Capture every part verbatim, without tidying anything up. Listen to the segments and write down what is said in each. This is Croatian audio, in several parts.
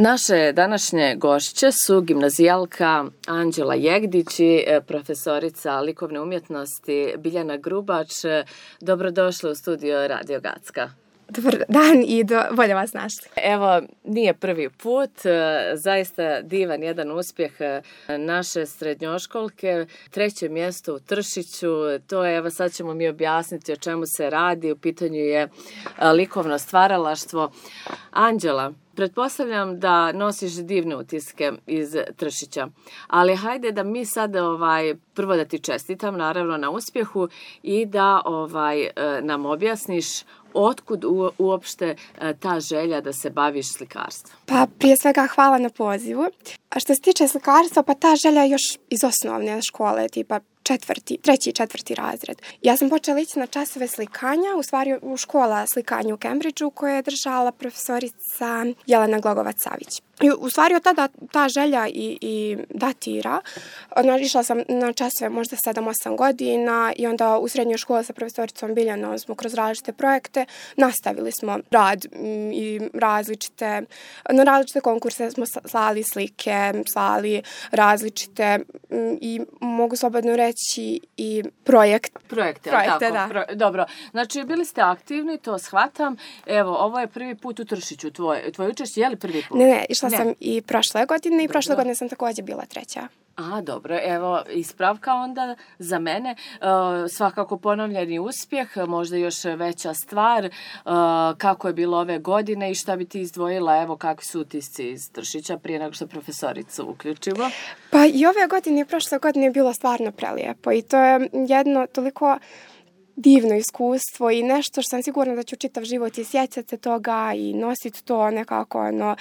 Naše današnje gošće su gimnazijalka Anđela Jegdić i profesorica likovne umjetnosti Biljana Grubač. Dobrodošli u studio Radio Gacka. Dobar dan i do, bolje vas našli. Evo, nije prvi put, zaista divan jedan uspjeh naše srednjoškolke, treće mjesto u Tršiću, to je, evo sad ćemo mi objasniti o čemu se radi, u pitanju je likovno stvaralaštvo. Anđela, pretpostavljam da nosiš divne utiske iz Tršića, ali hajde da mi sad ovaj, prvo da ti čestitam naravno na uspjehu i da ovaj, nam objasniš otkud u, uopšte ta želja da se baviš slikarstvom? Pa prije svega hvala na pozivu. A što se tiče slikarstva, pa ta želja još iz osnovne škole, tipa četvrti, treći i četvrti razred. Ja sam počela ići na časove slikanja, u stvari u škola slikanja u Cambridgeu koje je držala profesorica Jelena Glogovac-Savić. I u stvari od tada ta želja i, i datira. Išla sam na časove možda sedam osam godina i onda u srednjoj školi sa profesoricom Biljanom smo kroz različite projekte nastavili smo rad i različite, na različite konkurse smo slali slike, slali različite i mogu slobodno reći i projekt. Projekte, Projekte, tako. Da. Pro, dobro, znači bili ste aktivni, to shvatam. Evo, ovo je prvi put u Tršiću, tvoj, tvoj učešće, je li prvi put? Ne, ne, išla Ne. sam i prošle godine i Dobro. prošle godine sam također bila treća. A, dobro, evo, ispravka onda za mene, uh, svakako ponovljeni uspjeh, možda još veća stvar, uh, kako je bilo ove godine i šta bi ti izdvojila, evo, kakvi su utisci iz Tršića prije nego što profesoricu uključimo? Pa i ove godine i prošle godine je bilo stvarno prelijepo i to je jedno toliko divno iskustvo i nešto što sam sigurna da ću čitav život i sjećati se toga i nositi to nekako ono,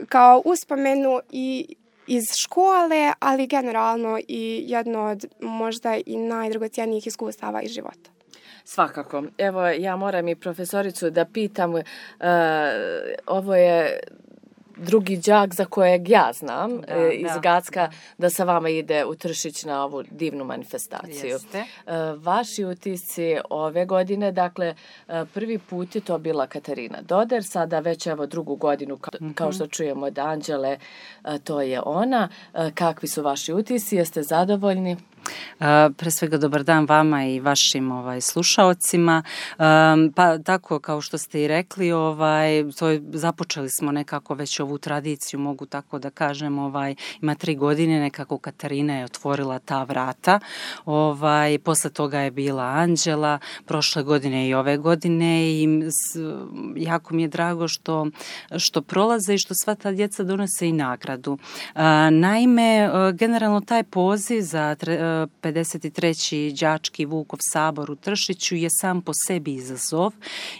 kao uspomenu i iz škole, ali generalno i jedno od možda i najdragocjenijih iskustava iz života. Svakako. Evo, ja moram i profesoricu da pitam, uh, ovo je drugi đak za kojeg ja znam da, e, iz da, Gacka da. da sa vama ide u Tršić na ovu divnu manifestaciju. Jeste. E, vaši utisci ove godine, dakle, prvi put je to bila Katarina Doder, sada već evo drugu godinu, ka, mm-hmm. kao što čujemo od Anđele, to je ona. Kakvi su vaši utisci? Jeste zadovoljni? Uh, pre svega dobar dan vama i vašim ovaj, slušaocima. Um, pa tako kao što ste i rekli, ovaj, to je, započeli smo nekako već ovu tradiciju, mogu tako da kažem, ovaj, ima tri godine, nekako Katarina je otvorila ta vrata. Ovaj, posle toga je bila Anđela, prošle godine i ove godine i s, jako mi je drago što, što prolaze i što sva ta djeca donose i nagradu. Uh, naime, uh, generalno taj poziv za tre, pedeset treći đački Vukov sabor u Tršiću je sam po sebi izazov,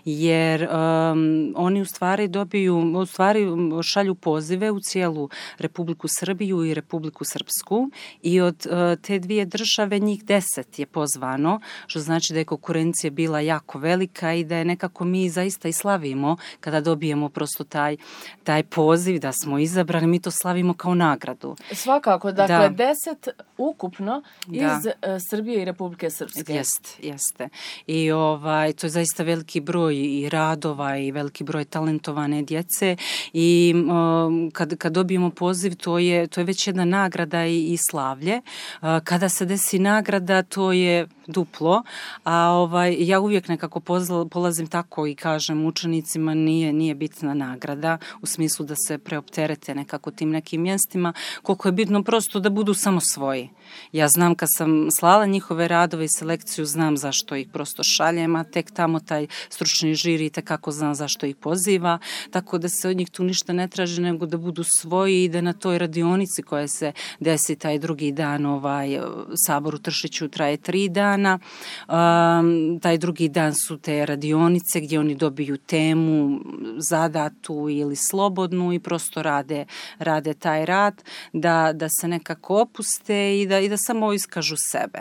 jer um, oni u stvari dobiju, u stvari šalju pozive u cijelu Republiku Srbiju i Republiku Srpsku i od uh, te dvije države njih deset je pozvano, što znači da je konkurencija bila jako velika i da je nekako mi zaista i slavimo kada dobijemo prosto taj, taj poziv da smo izabrani, mi to slavimo kao nagradu. Svakako, dakle da. deset ukupno iz Da. Srbije i Republike Srpske. Jeste, jeste. I ovaj, to je zaista veliki broj i radova i veliki broj talentovane djece i um, kad, kad dobijemo poziv, to je, to je već jedna nagrada i, i slavlje. Uh, kada se desi nagrada, to je duplo, a ovaj, ja uvijek nekako pozla, polazim tako i kažem učenicima nije, nije bitna nagrada u smislu da se preopterete nekako tim nekim mjestima, koliko je bitno prosto da budu samo svoji. Ja znam kad sam slala njihove radove i selekciju, znam zašto ih prosto šaljem, a tek tamo taj stručni žiri tekako zna zašto ih poziva, tako da se od njih tu ništa ne traži nego da budu svoji i da na toj radionici koja se desi taj drugi dan, ovaj sabor u Tršiću traje tri dana, Um, taj drugi dan su te radionice gdje oni dobiju temu zadatu ili slobodnu i prosto rade, rade taj rad da, da se nekako opuste i da, i da samo iskažu sebe.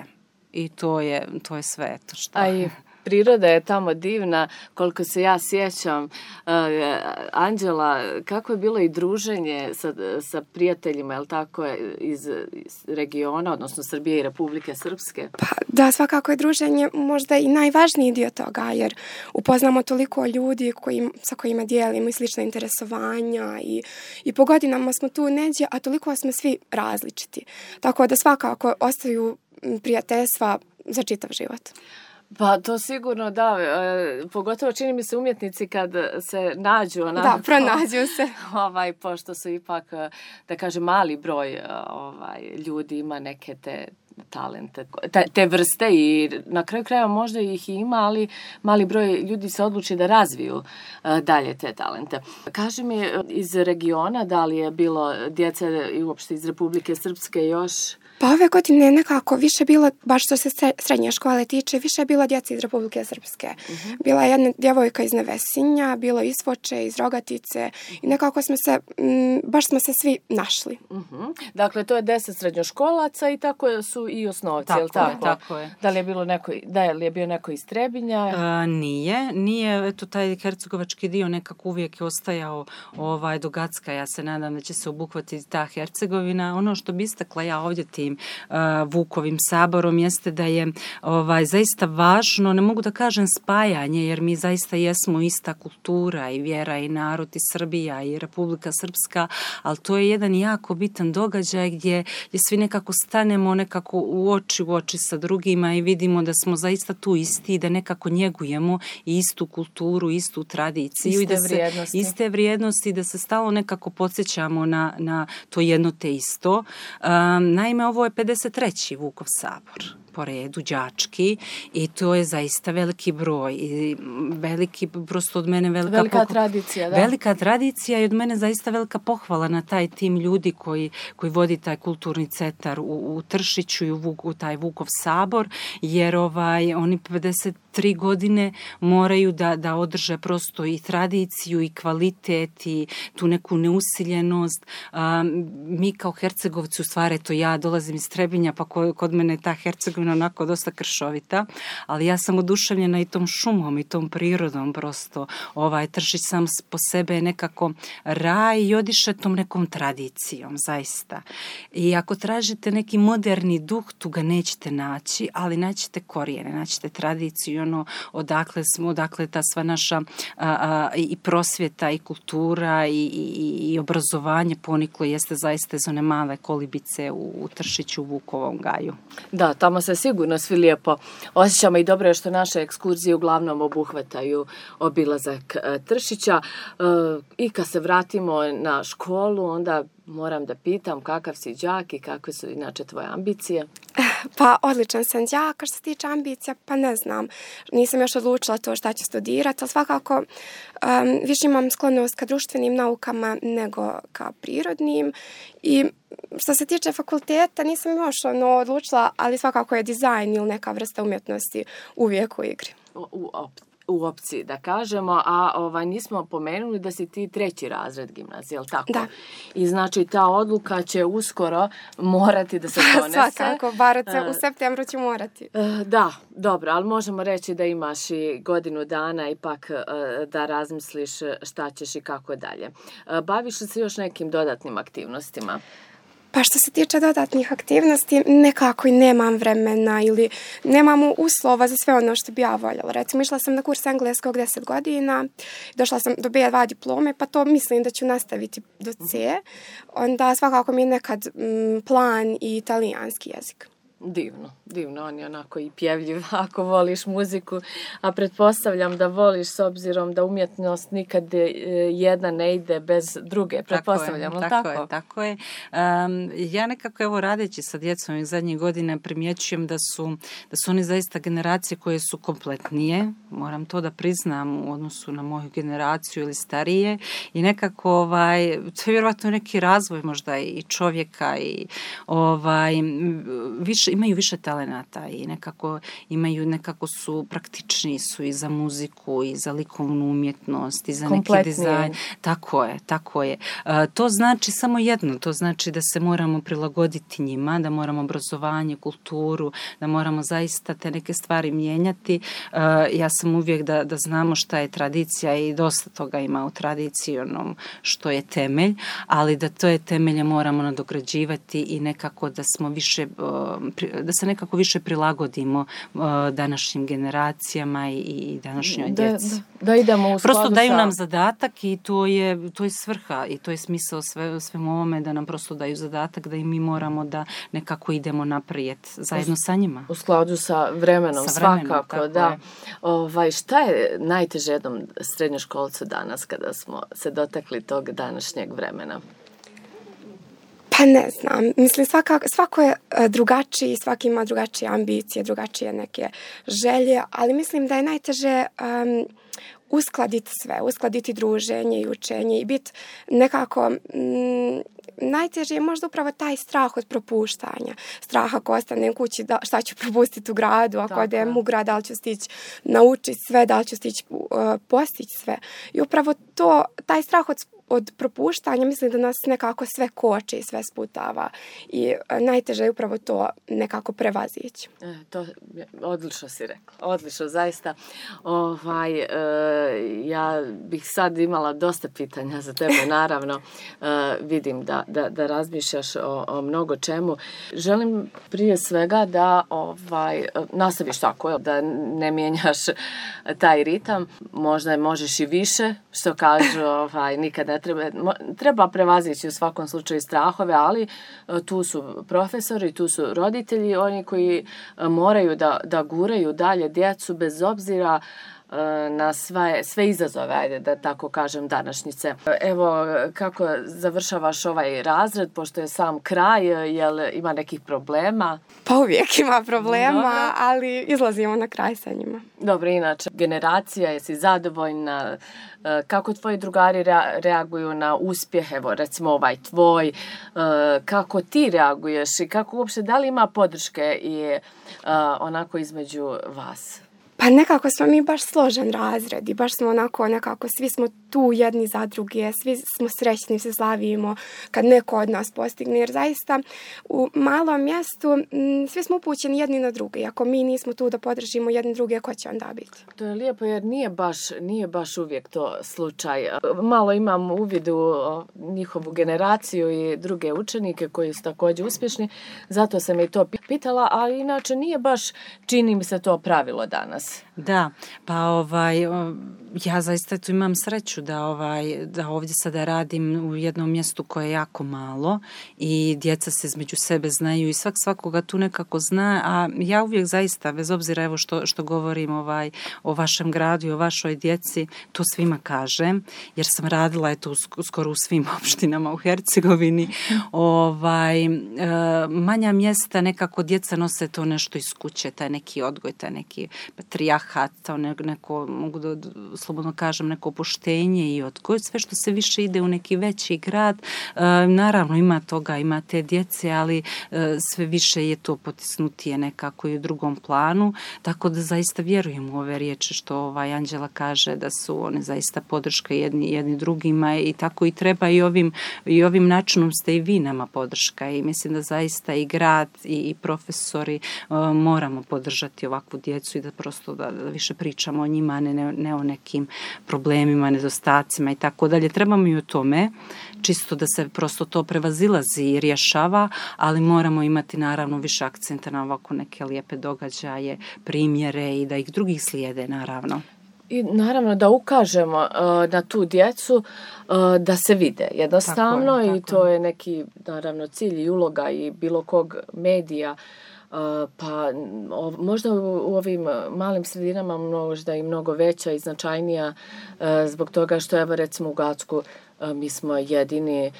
I to je, to je sve. To što... A i priroda je tamo divna, koliko se ja sjećam. Uh, Anđela, kako je bilo i druženje sa, sa prijateljima, je li tako, iz, iz regiona, odnosno Srbije i Republike Srpske? Pa da, svakako je druženje možda i najvažniji dio toga, jer upoznamo toliko ljudi koji, sa kojima dijelimo i slične interesovanja i, i po godinama smo tu neđe, a toliko smo svi različiti. Tako da svakako ostaju prijateljstva za čitav život. Pa to sigurno da, e, pogotovo čini mi se umjetnici kad se nađu. Onako, da, pronađu se. Ovaj, pošto su ipak, da kažem, mali broj ovaj, ljudi ima neke te talente, te, te vrste i na kraju krajeva možda ih ima, ali mali broj ljudi se odluči da razviju uh, dalje te talente. Kaži mi, iz regiona, da li je bilo djece i uopšte iz Republike Srpske još? Pa ove godine nekako više bilo, baš što se srednje škole tiče, više je bilo djece iz Republike Srpske. Uh-huh. Bila je jedna djevojka iz Nevesinja, bilo iz Foče, iz Rogatice i nekako smo se, m, baš smo se svi našli. Uh-huh. Dakle, to je deset srednjoškolaca i tako su i osnovci, tako je li tako? Tako je. Da li je bilo neko, da li je bio neko iz Trebinja? A, nije, nije, eto taj hercegovački dio nekako uvijek je ostajao ovaj, do Gacka. Ja se nadam da će se obuhvatiti ta Hercegovina. Ono što bi istakla ja ovdje tim uh, Vukovim saborom jeste da je ovaj, zaista važno, ne mogu da kažem spajanje, jer mi zaista jesmo ista kultura i vjera i narod i Srbija i Republika Srpska, ali to je jedan jako bitan događaj gdje, gdje svi nekako stanemo nekako u oči u oči sa drugima i vidimo da smo zaista tu isti i da nekako njegujemo istu kulturu, istu tradiciju. Iste i da se, vrijednosti. Iste vrijednosti, da se stalno nekako podsjećamo na, na to jedno te isto. Um, naime, ovo je pedeset treći Vukov sabor po redu, đački, i to je zaista veliki broj i veliki, prosto od mene velika, velika pohvala, tradicija, da. Velika tradicija i od mene zaista velika pohvala na taj tim ljudi koji, koji vodi taj kulturni centar u, u Tršiću i u, Vuk, u taj Vukov sabor, jer ovaj, oni pedeset tri godine moraju da, da održe prosto i tradiciju i kvalitet i tu neku neusiljenost. Um, mi kao Hercegovci, u stvari, to ja dolazim iz Trebinja, pa ko, kod mene je ta Hercegovina onako dosta kršovita, ali ja sam oduševljena i tom šumom i tom prirodom prosto. Ovaj Tršić sam po sebe je nekako raj i odiše tom nekom tradicijom, zaista. I ako tražite neki moderni duh, tu ga nećete naći, ali naćete korijene, naćete tradiciju, ono odakle smo, odakle ta sva naša a, a, i prosvjeta i kultura i, i, i obrazovanje poniklo jeste zaista iz one male kolibice u, u Tršiću, u Vukovom gaju. Da, tamo se sigurno svi lijepo osjećamo i dobro je što naše ekskurzije uglavnom obuhvataju obilazak e, Tršića. E, I kad se vratimo na školu, onda moram da pitam kakav si đak i kakve su inače tvoje ambicije? Pa odličan sam đak, što se tiče ambicija, pa ne znam. Nisam još odlučila to šta ću studirati, ali svakako um, više imam sklonost ka društvenim naukama nego ka prirodnim. I što se tiče fakulteta, nisam još ono odlučila, ali svakako je dizajn ili neka vrsta umjetnosti uvijek u igri. U, u op- u opciji, da kažemo, a ovaj, nismo pomenuli da si ti treći razred gimnazije, je li tako? Da. I znači ta odluka će uskoro morati da se donese. Svakako, bar u septembru ću morati. Da, dobro, ali možemo reći da imaš i godinu dana ipak da razmisliš šta ćeš i kako dalje. Baviš li se još nekim dodatnim aktivnostima? Pa što se tiče dodatnih aktivnosti, nekako i nemam vremena ili nemam uslova za sve ono što bi ja voljela. Recimo, išla sam na kurs engleskog deset godina, došla sam do be dva diplome, pa to mislim da ću nastaviti do C. Onda svakako mi je nekad m, plan i italijanski jezik. Divno, divno, on je onako i pjevljiv ako voliš muziku, a pretpostavljam da voliš s obzirom da umjetnost nikad jedna ne ide bez druge, pretpostavljam, tako, tako? tako je, tako je. Um, ja nekako evo radeći sa djecom iz zadnjih godina primjećujem da su, da su oni zaista generacije koje su kompletnije, moram to da priznam u odnosu na moju generaciju ili starije i nekako ovaj, to je vjerovatno neki razvoj možda i čovjeka i ovaj, više više, imaju više talenata i nekako imaju, nekako su praktični su i za muziku i za likovnu umjetnost i za neki dizajn. Tako je, tako je. Uh, to znači samo jedno, to znači da se moramo prilagoditi njima, da moramo obrazovanje, kulturu, da moramo zaista te neke stvari mijenjati. Uh, ja sam uvijek da, da znamo šta je tradicija i dosta toga ima u tradiciji onom što je temelj, ali da to je temelje moramo nadograđivati i nekako da smo više, da se nekako više prilagodimo današnjim generacijama i, i današnjoj da, djeci. Da, da idemo u prosto daju sa... nam zadatak i to je, to je svrha i to je smisao sve, svemu ovome, da nam prosto daju zadatak da i mi moramo da nekako idemo naprijed zajedno sa njima. U skladu sa vremenom, sa vremenom svakako, da. Ovaj, šta je najteže jednom srednjoškolcu danas kada smo se dotakli tog današnjeg vremena? Pa ne znam, mislim svaka, svako je drugačiji, svaki ima drugačije ambicije, drugačije neke želje, ali mislim da je najteže um, uskladiti sve, uskladiti druženje i učenje i biti nekako... Um, najteže je možda upravo taj strah od propuštanja. Strah ako ostanem kući, da, šta ću propustiti u gradu, ako odem u grad, da li ću stići naučiti sve, da li ću stići uh, postići sve. I upravo to, taj strah od od propuštanja, mislim da nas nekako sve koči i sve sputava i najteže je upravo to nekako prevazići. E, to odlično si rekla, odlično, zaista. Ovaj, e, ja bih sad imala dosta pitanja za tebe, naravno, e, vidim da, da, da razmišljaš o, o mnogo čemu. Želim prije svega da ovaj, nastaviš tako, da ne mijenjaš taj ritam, možda možeš i više, što kažu, ovaj, nikad ne treba, treba prevazići u svakom slučaju strahove, ali tu su profesori, tu su roditelji, oni koji moraju da, da guraju dalje djecu bez obzira na sve, sve izazove, ajde da tako kažem, današnjice. Evo, kako završavaš ovaj razred, pošto je sam kraj, jel ima nekih problema? Pa uvijek ima problema, Dobro. ali izlazimo na kraj sa njima. Dobro, inače, generacija, jesi zadovoljna? Kako tvoji drugari reaguju na uspjeh, evo recimo ovaj tvoj, kako ti reaguješ i kako uopšte, da li ima podrške i onako između vas? Pa nekako smo mi baš složen razred i baš smo onako nekako, svi smo tu jedni za druge, svi smo srećni, se slavimo kad neko od nas postigne, jer zaista u malom mjestu m, svi smo upućeni jedni na druge. Ako mi nismo tu da podržimo jedni druge, ko će onda biti? To je lijepo jer nije baš, nije baš uvijek to slučaj. Malo imam uvid u njihovu generaciju i druge učenike koji su također uspješni, zato sam i to pitala, ali inače nije baš, čini mi se to pravilo danas. Da, pa ovaj, ja zaista tu imam sreću da, ovaj, da ovdje sada radim u jednom mjestu koje je jako malo i djeca se između sebe znaju i svak svakoga tu nekako zna, a ja uvijek zaista, bez obzira evo što, što govorim ovaj, o vašem gradu i o vašoj djeci, to svima kažem, jer sam radila eto skoro u svim opštinama u Hercegovini. Ovaj, e, manja mjesta nekako djeca nose to nešto iz kuće, taj neki odgoj, taj neki patrijarhat, to neko, mogu da slobodno kažem, neko poštenje i odgoj, sve što se više ide u neki veći grad, e, naravno ima toga, ima te djece, ali e, sve više je to potisnutije nekako i u drugom planu, tako da zaista vjerujem u ove riječi što ovaj Anđela kaže, da su one zaista podrška jedni, jedni drugima i tako i treba i ovim, i ovim načinom ste i vi nama podrška i mislim da zaista i grad i, i profesori e, moramo podržati ovakvu djecu i da prosto da, da više pričamo o njima, ne, ne, ne o nekim problemima, nedostacima i tako dalje. Trebamo i o tome, čisto da se prosto to prevazilazi i rješava, ali moramo imati naravno više akcenta na ovako neke lijepe događaje, primjere i da ih drugih slijede naravno. I naravno da ukažemo uh, na tu djecu uh, da se vide jednostavno tako je, tako i to je neki naravno cilj i uloga i bilo kog medija. Uh, pa o, možda u, u ovim malim sredinama možda i mnogo veća i značajnija uh, zbog toga što evo recimo u Gacku Mi smo jedini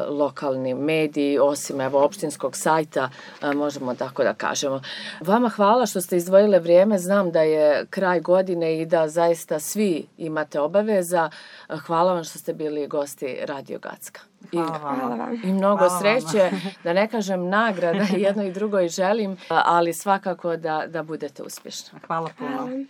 lokalni mediji, osim evo opštinskog sajta, možemo tako da kažemo. Vama hvala što ste izdvojile vrijeme, znam da je kraj godine i da zaista svi imate obaveza. Hvala vam što ste bili gosti Radio Gacka. Hvala vam. Hvala vam. I mnogo Hvala sreće, da ne kažem nagrada, jedno i drugo i želim, ali svakako da, da budete uspješni. Hvala puno. Hvala.